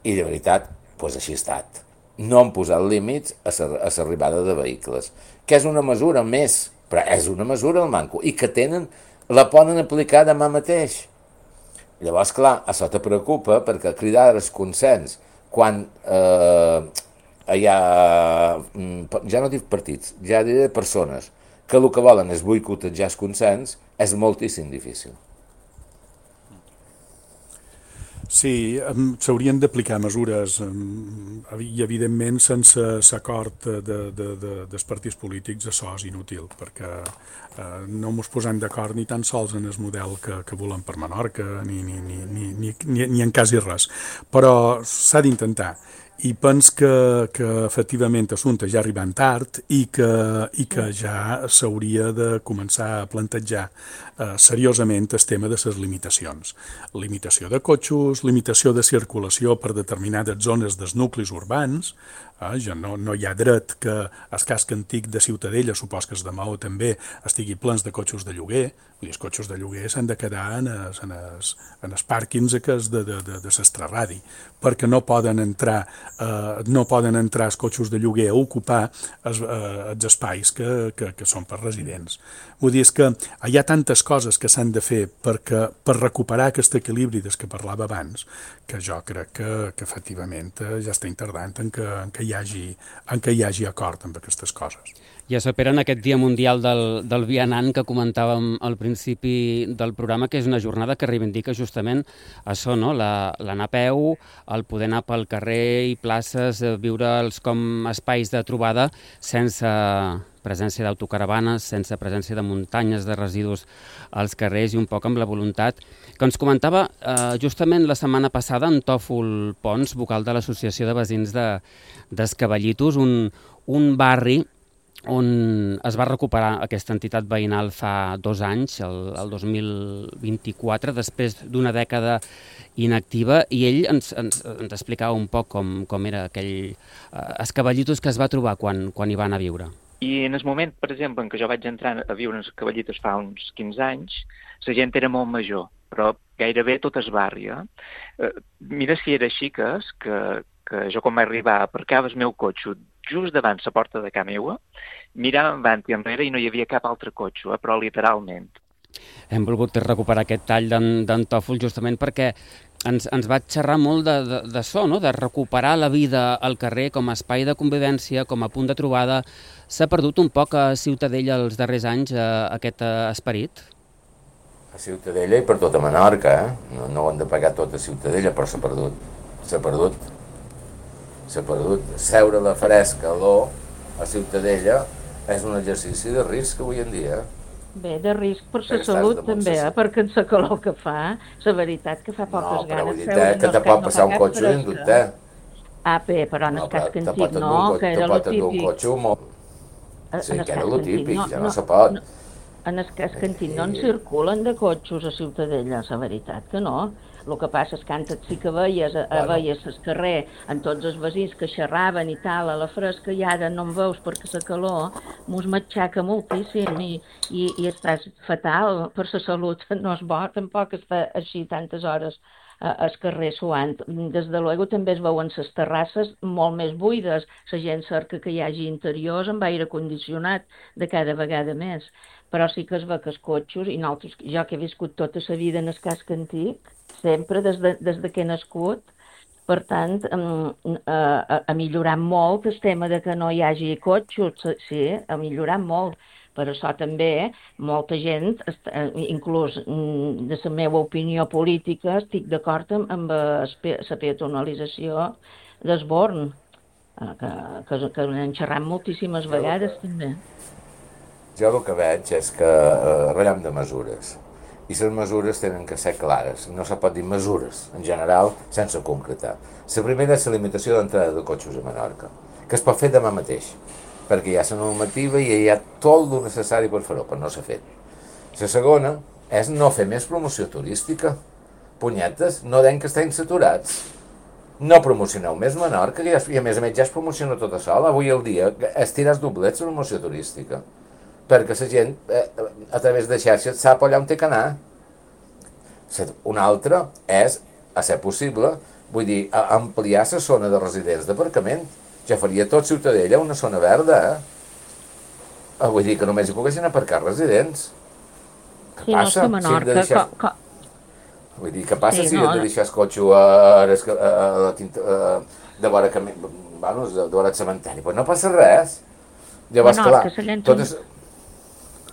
I de veritat, doncs així ha estat. No han posat límits a l'arribada de vehicles, que és una mesura més, però és una mesura al manco, i que la poden aplicar demà mateix. Llavors, clar, això te preocupa, perquè cridar el consens, quan hi ha, ja no dic partits, ja diré persones, que el que volen és boicotejar el consens, és moltíssim difícil. Sí, s'haurien d'aplicar mesures i, evidentment, sense l'acord dels partits polítics això és inútil, perquè no ens posem d'acord ni tan sols en el model que volem per Menorca, ni en quasi res. Però s'ha d'intentar. I pens que efectivament Assumpta ja arribant tard i que ja s'hauria de començar a plantejar seriosament el tema de les limitacions. Limitació de cotxes, limitació de circulació per determinades zones dels nuclis urbans. Ja no hi ha dret que el casc antic de Ciutadella, supos que els de Maó també, estigui plens de cotxes de lloguer. Els cotxes de lloguer s'han de quedar en els pàrquings de l'Estraradi, perquè no poden entrar els cotxes de lloguer a ocupar els espais que són per residents. Vull dir, és que hi ha tantes coses que s'han de fer per recuperar aquest equilibri del que parlava abans, que jo crec que efectivament ja estem tardant en que hi hagi acord amb aquestes coses. I això, Pere, en aquest Dia Mundial del Vianant que comentàvem al principi del programa, que és una jornada que reivindica justament això, no? L'anar a peu, el poder anar pel carrer i places, viure'ls com espais de trobada sense presència d'autocaravanes, sense presència de muntanyes de residus als carrers i un poc amb la voluntat que ens comentava justament la setmana passada en Tòfol Pons, vocal de l'Associació de Veïns d'Escavallitos, un barri on es va recuperar aquesta entitat veïnal fa 2 anys, el 2024, després d'una dècada inactiva, i ell ens explicava un poc com era aquell Escavallitos que es va trobar quan hi va anar a viure. I en el moment, per exemple, en què jo vaig entrar a viure en Escavallitos fa uns 15 anys, la gent era molt major però gairebé tot es barri. Mira si era així que jo quan vaig arribar aparcava el meu cotxe just davant la porta de casa meua, mirava avant i enrere i no hi havia cap altre cotxe, però literalment. Hem volgut recuperar aquest tall d'en Tòfol justament perquè ens va xerrar molt d'això, no? De recuperar la vida al carrer com a espai de convivència, com a punt de trobada. S'ha perdut un poc a Ciutadella els darrers anys aquest esperit? A Ciutadella i per tota Menorca, no ho han de pagar tot a Ciutadella, però s'ha perdut. Seure a la fresca, a Ciutadella, és un exercici de risc avui en dia. Bé, de risc per la salut també, perquè en la calor que fa, la veritat que fa poques ganes. No, però que te pot passar un cotxe en dubte. Bé, però en el cas Cantit no, que era el típic. Sí, que era el típic, ja no se pot. En el cas Cantit no en circulen de cotxos a Ciutadella, la veritat que no. El que passa és que antes sí que veies al carrer amb tots els veïns que xerraven i tal, a la fresca, i ara no en veus perquè la calor mos matxaca moltíssim i estàs fatal per la salut. No és bo tampoc estar així tantes hores al carrer suant. Des de luego també es veuen les terrasses molt més buides. La gent cerca que hi hagi interiors amb aire condicionat de cada vegada més. Però sí que es ve que els cotxos, i nosaltres, jo que he viscut tota la vida en el casc antic, sempre des de que he nascut, per tant, ha millorat molt el tema de que no hi hagi cotxos, sí, ha millorat molt. Per això també molta gent, inclús de la meva opinió política, estic d'acord amb la peatonalització d'Esborn, que n'hem xerrat moltíssimes vegades també. Jo el que veig és que ratllem de mesures, i les mesures tenen que ser clares. No se pot dir mesures, en general, sense concretar. La primera és la limitació d'entrada de cotxos a Menorca, que es pot fer demà mateix, perquè hi ha la normativa i hi ha tot el necessari per fer-ho, però no s'ha fet. La segona és no fer més promoció turística. Punyetes, no deien que estem saturats. No promocioneu més Menorca, i a més ja es promociona tota sola. Avui al dia estiràs doblets la promoció turística, perquè la gent, a través de xarxes, sap allà on té que anar. Una altra és, a ser possible, vull dir, ampliar la zona de residents d'aparcament. Ja faria tot Ciutadella una zona verda, Vull dir que només hi poguessin aparcar residents. Què passa? Vull dir, què passa si hem de deixar el cotxe de vora el cementeri? Pues no passa res. Llavors, clar, totes...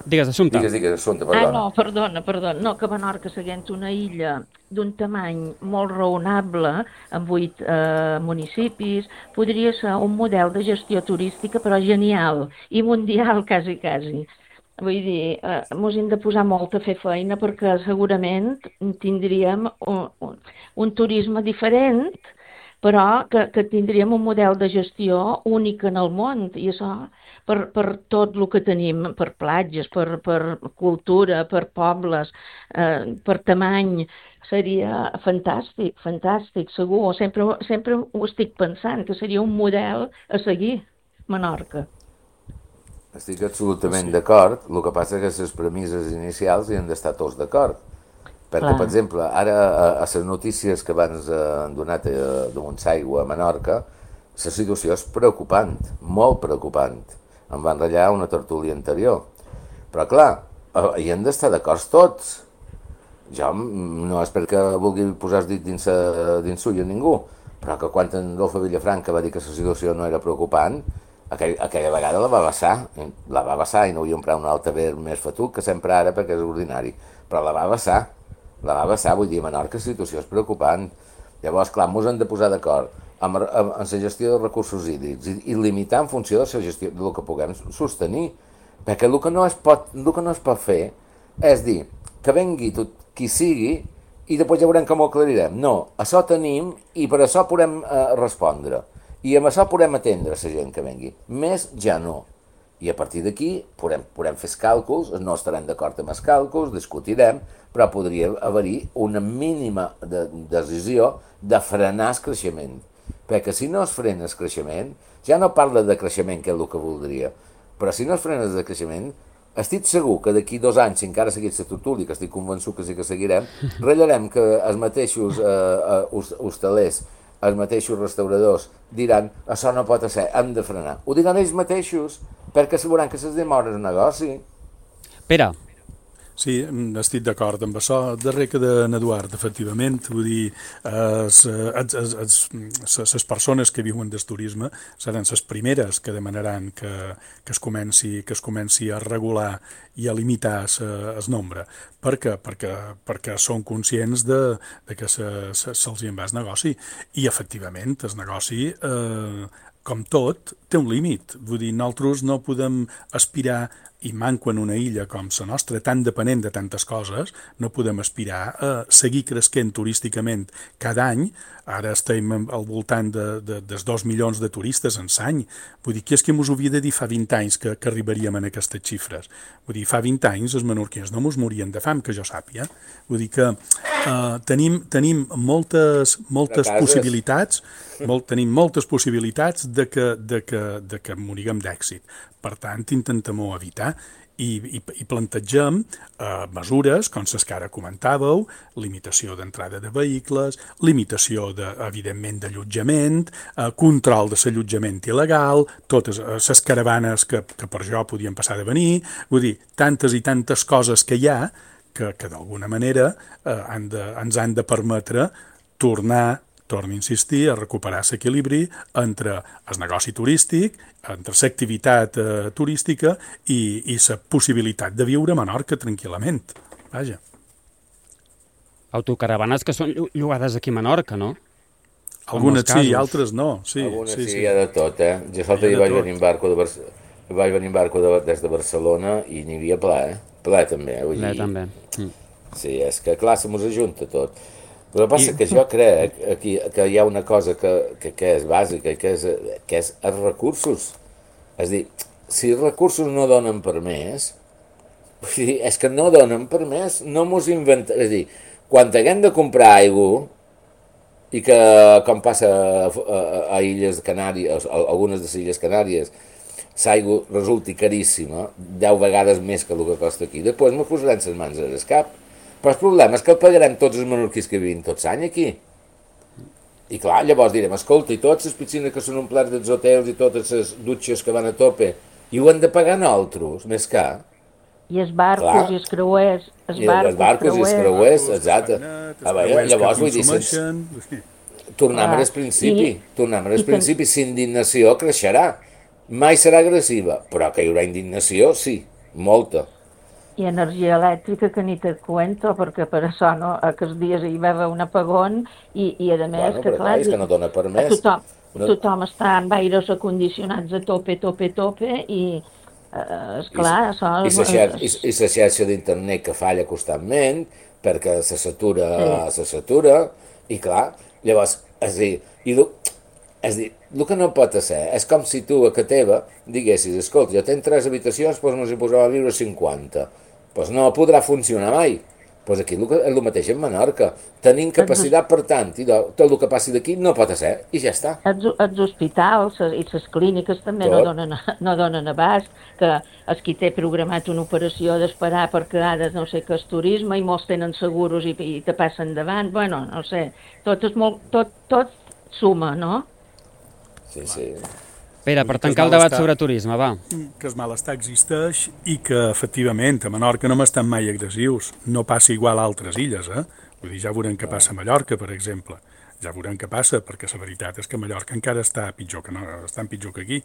Digues, Assumpta. Digues, Assumpta, perdona. Perdona. No, que Menorca, seguint una illa d'un tamany molt raonable, amb 8 municipis, podria ser un model de gestió turística, però genial, i mundial, quasi. Vull dir, mos hem de posar molt a fer feina perquè segurament tindríem un turisme diferent, però que tindríem un model de gestió únic en el món, i això per tot el que tenim, per platges, per cultura, per pobles, per tamany, seria fantàstic, segur. Sempre ho estic pensant, que seria un model a seguir, Menorca. Estic absolutament d'acord, el que passa és que les premisses inicials hi han d'estar tots d'acord. Perquè, per exemple, ara a les notícies que abans han donat de Montsaigua a Menorca, la situació és preocupant, molt preocupant. Em van ratllar una tertúlia anterior. Però, clar, hi han d'estar d'acord tots. Jo no és perquè vulgui posar el dit dins sull a ningú, però que quan en Adolfo Villafranca va dir que la situació no era preocupant, aquella vegada la va vessar i no vull emprar un altaver més fatuc que sempre ara perquè és ordinari, però la va vessar, vull dir, a Menorca la situació és preocupant. Llavors, clar, ens hem de posar d'acord en la gestió de recursos hídrics i limitar en funció de la gestió del que puguem sostenir, perquè el que no es pot fer és dir que vengui tot qui sigui i després ja veurem com ho aclarirem. No, això tenim i per això podem respondre i amb això podem atendre la gent que vengui, més ja no. I a partir d'aquí podem fer els càlculs, no estarem d'acord amb els càlculs, discutirem, però podria haver-hi una mínima decisió de frenar el creixement. Perquè si no es frena el creixement, ja no parla de creixement, que és el que voldria, però si no es frena el creixement, estic segur que d'aquí 2 anys, si encara segueix la tertúlia, que estic convençut que sí que seguirem, ratllarem que els mateixos hostalers, els mateixos restauradors diran això no pot ser, hem de frenar. Ho diran ells mateixos, perquè sabran que les demores el negoci. Pere. Sí, estic d'acord amb això. Darrer que d'en Eduard, efectivament, vull dir, les persones que viuen del turisme seran les primeres que demanaran que es comenci a regular i a limitar el nombre. Per què? Perquè són conscients de que se'ls en va el negoci. I, efectivament, el negoci, com tot, té un límit. Vull dir, nosaltres no podem aspirar, i manco en una illa com la nostra, tan depenent de tantes coses, no podem aspirar a seguir creixent turísticament cada any. Ara estem al voltant dels 2 milions de turistes en l'any. Vull dir, qui és que mos ho havia de dir fa 20 anys que arribaríem a aquestes xifres? Vull dir, fa 20 anys els menorquins no mos morien de fam, que jo sàpiga. Vull dir que tenim moltes possibilitats, tenim moltes possibilitats de que moriguem d'èxit. Per tant, intentem-ho evitar i plantegem mesures, com les que ara comentàveu, limitació d'entrada de vehicles, limitació, evidentment, d'allotjament, control de l'allotjament il·legal, totes les caravanes que per jo podien passar de venir, vull dir, tantes i tantes coses que hi ha que d'alguna manera ens han de permetre torno a insistir, a recuperar l'equilibri entre el negoci turístic, entre l'activitat turística i la possibilitat de viure a Menorca tranquil·lament. Vaja. Autocaravanes que són llogades aquí a Menorca, no? Algunes sí, altres no. Algunes sí, hi ha de tot, eh? Jo l'altre dia vaig venir en barco des de Barcelona i n'hi havia ple, ple també. Ple també. Sí, és que clar, se mos ajunta tot. El que passa és que jo crec que hi ha una cosa que és bàsica, que és els recursos. És a dir, si els recursos no donen per més, és que no donen per més, no mos inventem. És a dir, quan haguem de comprar aigua, i que, com passa a Illes Canàries, a algunes de les Illes Canàries, l'aigua resulti caríssima, 10 vegades més que el que costa aquí, després mos posaran les mans a l'escap. Però el problema és que el pagarem tots els menorquins que vivim tots l'any aquí. I clar, llavors direm, escolta, i totes les piscines que són omplets dels hotels i totes les dutxes que van a tope, i ho han de pagar nosaltres, més car. I els barcos i els creuers. Els barcos i els creuers, exacte. Llavors, vull dir, tornem al principi, s'indignació creixerà. Mai serà agressiva, però que hi haurà indignació, sí, molta. I energia elèctrica que ni te cuento, perquè per això no, aquests dies hi va haver un apagón i a més que clar, és que no dona per més. Tothom està amb aires acondicionats a tope i esclar, això... I la xarxa d'internet que falla constantment perquè se satura i clar, llavors, és a dir, el que no pot ser és com si tu a casa teva diguessis, escolta, jo tenc 3 habitacions, doncs mos hi posava a viure 50. Doncs no podrà funcionar mai. Doncs aquí és el mateix en Menorca. Tenim capacitat per tant, i tot el que passi d'aquí no pot ser, i ja està. Els hospitals i les clíniques també no donen abast, que els qui té programat una operació d'esperar perquè ara no sé què és turisme i molts tenen seguros i te passen davant, bueno, no sé, tot suma, no? Sí. Pere, per tancar el debat sobre turisme, va. Que el malestar existeix i que, efectivament, a Menorca no m'estan mai agressius. No passa igual a altres illes, eh? Vull dir, ja veurem què passa a Mallorca, per exemple. Ja veurem què passa, perquè la veritat és que Mallorca encara està pitjor que aquí.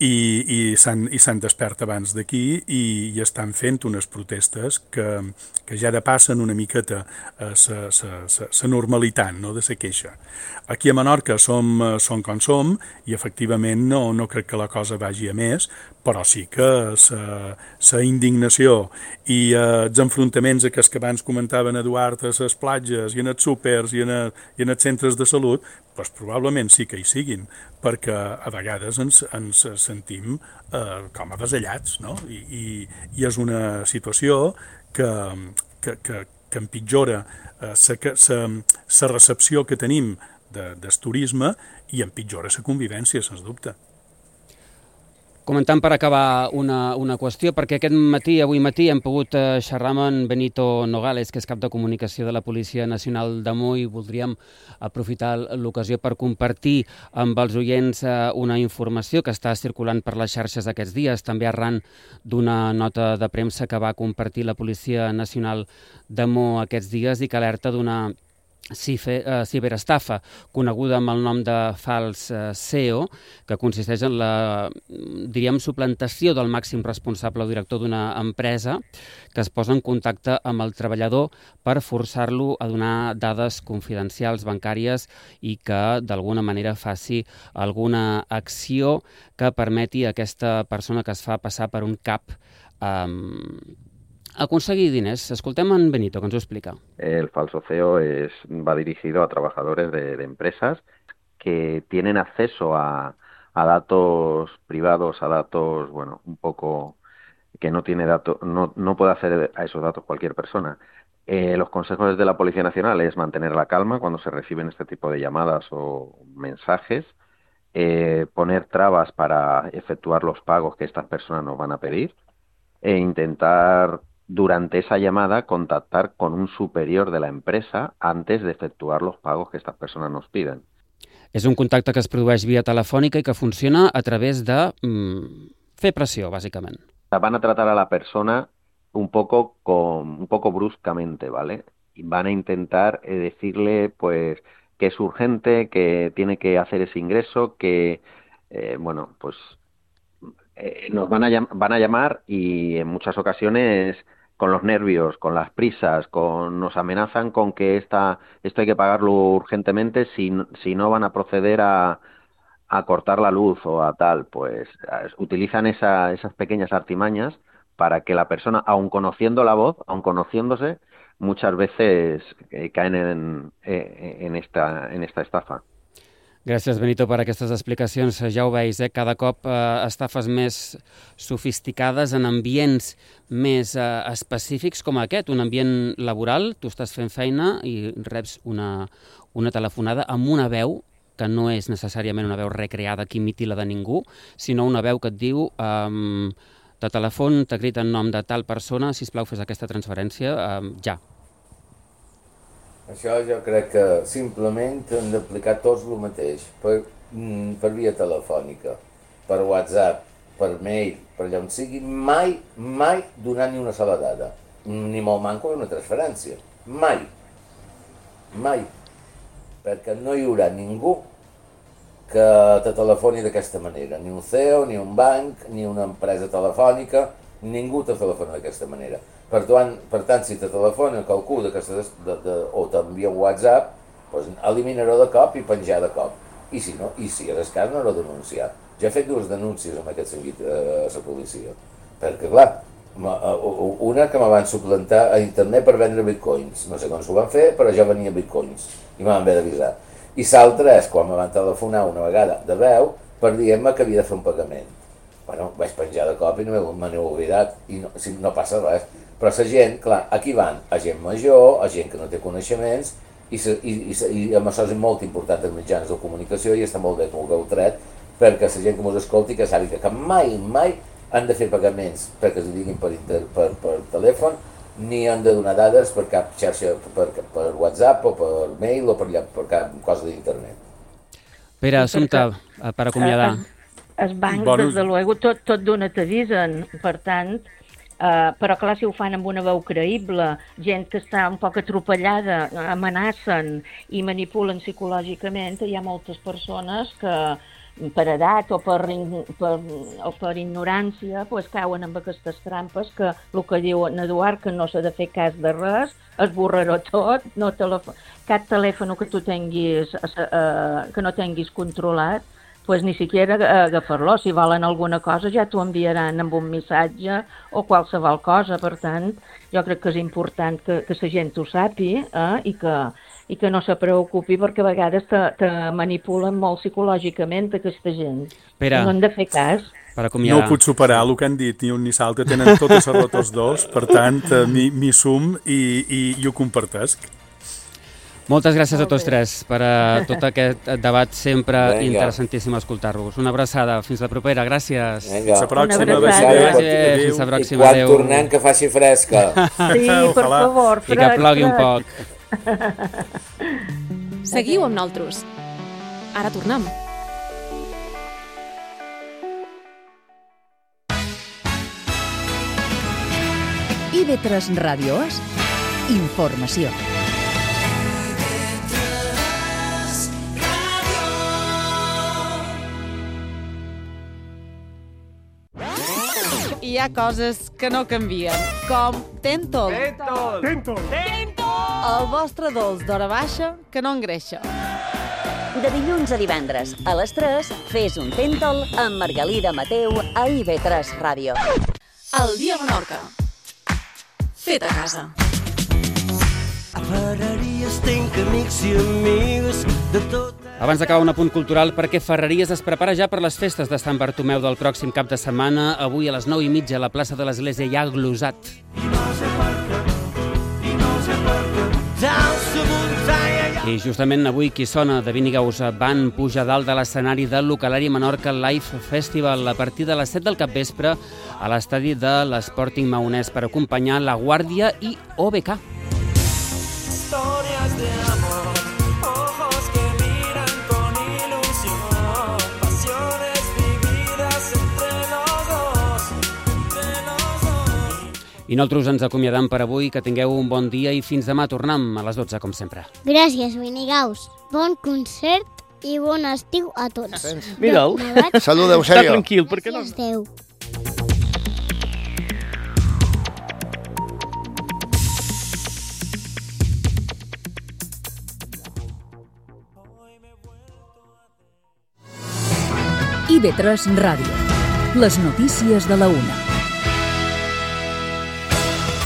I s'han despert abans d'aquí i estan fent unes protestes que ja depassen una miqueta la normalitat, no?, de la queixa. Aquí a Menorca som com som i efectivament no crec que la cosa vagi a més, però sí que la indignació i els enfrontaments aquests que abans comentaven Eduard a les platges i en els súpers i en els centres de salut, doncs probablement sí que hi siguin, perquè a vegades ens sentim com avasallats, no? I és una situació que empitjora la recepció que tenim del turisme i empitjora la convivència, sens dubte. Comentant per acabar una qüestió, perquè avui matí, hem pogut xerrar amb en Benito Nogales, que és cap de comunicació de la Policia Nacional de Mo, i voldríem aprofitar l'ocasió per compartir amb els oients una informació que està circulant per les xarxes aquests dies, també arran d'una nota de premsa que va compartir la Policia Nacional de Mo aquests dies i que alerta d'una ciberestafa coneguda amb el nom de fals CEO, que consisteix en la, suplantació del màxim responsable o director d'una empresa que es posa en contacte amb el treballador per forçar-lo a donar dades confidencials bancàries i que d'alguna manera faci alguna acció que permeti a aquesta persona que es fa passar per un cap aconseguir diners. Escoltem en Benito, que ens ho explica. El falso CEO va dirigido a trabajadores de empresas que tienen acceso a datos privados, a datos, un poco que no tiene datos, no puede acceder a esos datos cualquier persona. Los consejos de la Policía Nacional es mantener la calma cuando se reciben este tipo de llamadas o mensajes, poner trabas para efectuar los pagos que estas personas nos van a pedir e intentar durante esa llamada contactar con un superior de la empresa antes de efectuar los pagos que estas personas nos piden. És un contacte que es produeix via telefònica i que funciona a través de fer pressió, bàsicament. Van a tratar a la persona un poco bruscamente, ¿vale? Y van a intentar decirle pues que es urgente, que tiene que hacer ese ingreso, que nos van a llamar y en muchas ocasiones con los nervios, con las prisas, nos amenazan con que esto hay que pagarlo urgentemente, si no van a proceder a cortar la luz o a tal, pues utilizan esas pequeñas artimañas para que la persona, aun conociendo la voz, aun conociéndose, muchas veces caen en esta estafa. Gràcies, Benito, per aquestes explicacions. Ja ho veus, cada cop estafes més sofisticades en ambients més específics com aquest, un ambient laboral. Tu estàs fent feina i reps una telefonada amb una veu que no és necessàriament una veu recreada que imiti la de ningú, sinó una veu que et diu de telèfon, t'ha crit en nom de tal persona, sisplau, fes aquesta transferència ja. Això jo crec que simplement hem d'aplicar tots el mateix, per via telefònica, per WhatsApp, per mail, per allà on sigui, mai donar ni una sola dada, ni molt manco una transferència, mai, perquè no hi haurà ningú que te telefoni d'aquesta manera, ni un CEO, ni un banc, ni una empresa telefònica, ningú te telefona d'aquesta manera. Per tant, si te telefona qualcú o t'envia un WhatsApp, eliminar-ho de cop i penjar de cop. I si no, i si és cas, no-ho denunciar. Jo he fet 2 denúncies en aquest sentit a la policia, perquè, clar, una que me van suplantar a internet per vendre bitcoins. No sé com s'ho van fer, però jo venia bitcoins i me van haver d'avisar. I l'altra és quan me van telefonar una vegada de veu per dir-me que havia de fer un pagament. Bueno, vaig penjar de cop i no me n'he oblidat i no passa res. Però la gent, clar, aquí van a gent major, a gent que no té coneixements, i amb això és molt important els mitjans de comunicació i està molt bé que ho hagueu tret, perquè la gent que ens escolti que sàpiga que mai han de fer pagaments perquè es diguin per telèfon, ni han de donar dades per cap xarxa, per WhatsApp o per mail o per cap cosa d'internet. Pere, Assumpta, per acomiadar. Els bancs, des de luego, tot d'una t'avisen, per tant, però clar, si ho fan amb una veu creïble, gent que està un poc atropellada, amenacen i manipulen psicològicament, hi ha moltes persones que per edat o per ignorància cauen amb aquestes trampes que el que diu en Eduard, que no s'ha de fer cas de res, esborrar-ho tot, cap telèfon que tu tinguis, que no tinguis controlat, ni siquiera agafar-lo. Si volen alguna cosa ja t'ho enviaran amb un missatge o qualsevol cosa. Per tant, jo crec que és important que la gent ho sàpiga i que no se preocupi, perquè a vegades te manipulen molt psicològicament aquesta gent. Pere, no han de fer cas. No puc superar el que han dit ni un ni l'altre, tenen totes les rotes dos, per tant, m'hi sum i ho compartesc. Moltes gràcies a tots tres per tot aquest debat sempre interessantíssim escoltar-vos. Una abraçada, fins la propera, gràcies. Vinga. Fins la pròxima. Fins la pròxima, adéu. I quan tornem que faci fresca. Sí, per favor, I que plogui un poc. Seguiu amb nosaltres. Ara tornem. IB3 Ràdio És informació. Hi ha coses que no canvien, com Tentol. Tentol. El vostre dolç d'hora baixa que no engreixa. De dilluns a divendres, a les 3, fes un Tentol amb Margalida Mateu a IB3 Ràdio. El dia a Menorca. Fet a casa. A Ferreries tenc amics i amigues de tot. Abans d'acabar, un apunt cultural perquè Ferreries es prepara ja per les festes de Sant Bartomeu del pròxim cap de setmana. Avui a les 9:30 a la plaça de l'Església hi ha glosat. I justament avui qui sona de Vinigaus van pujar dalt de l'escenari del Localari Menorca Live Festival a partir de les 7 del capvespre a l'estadi de l'Sporting Maonès per acompanyar La Guàrdia i OBK. Historias de amor, ojos que miran con ilusión, pasiones vividas entre los dos. I nosaltres ens acomiadam per avui, que tingueu un bon dia i fins demà tornem a les 12, com sempre. Gràcies, Vinigaus. Bon concert i bon estiu a tots. Mira'l, saludeu, Està sèrio. tranquil, perquè no... Adéu. IB3 Ràdio. Les notícies de la 1.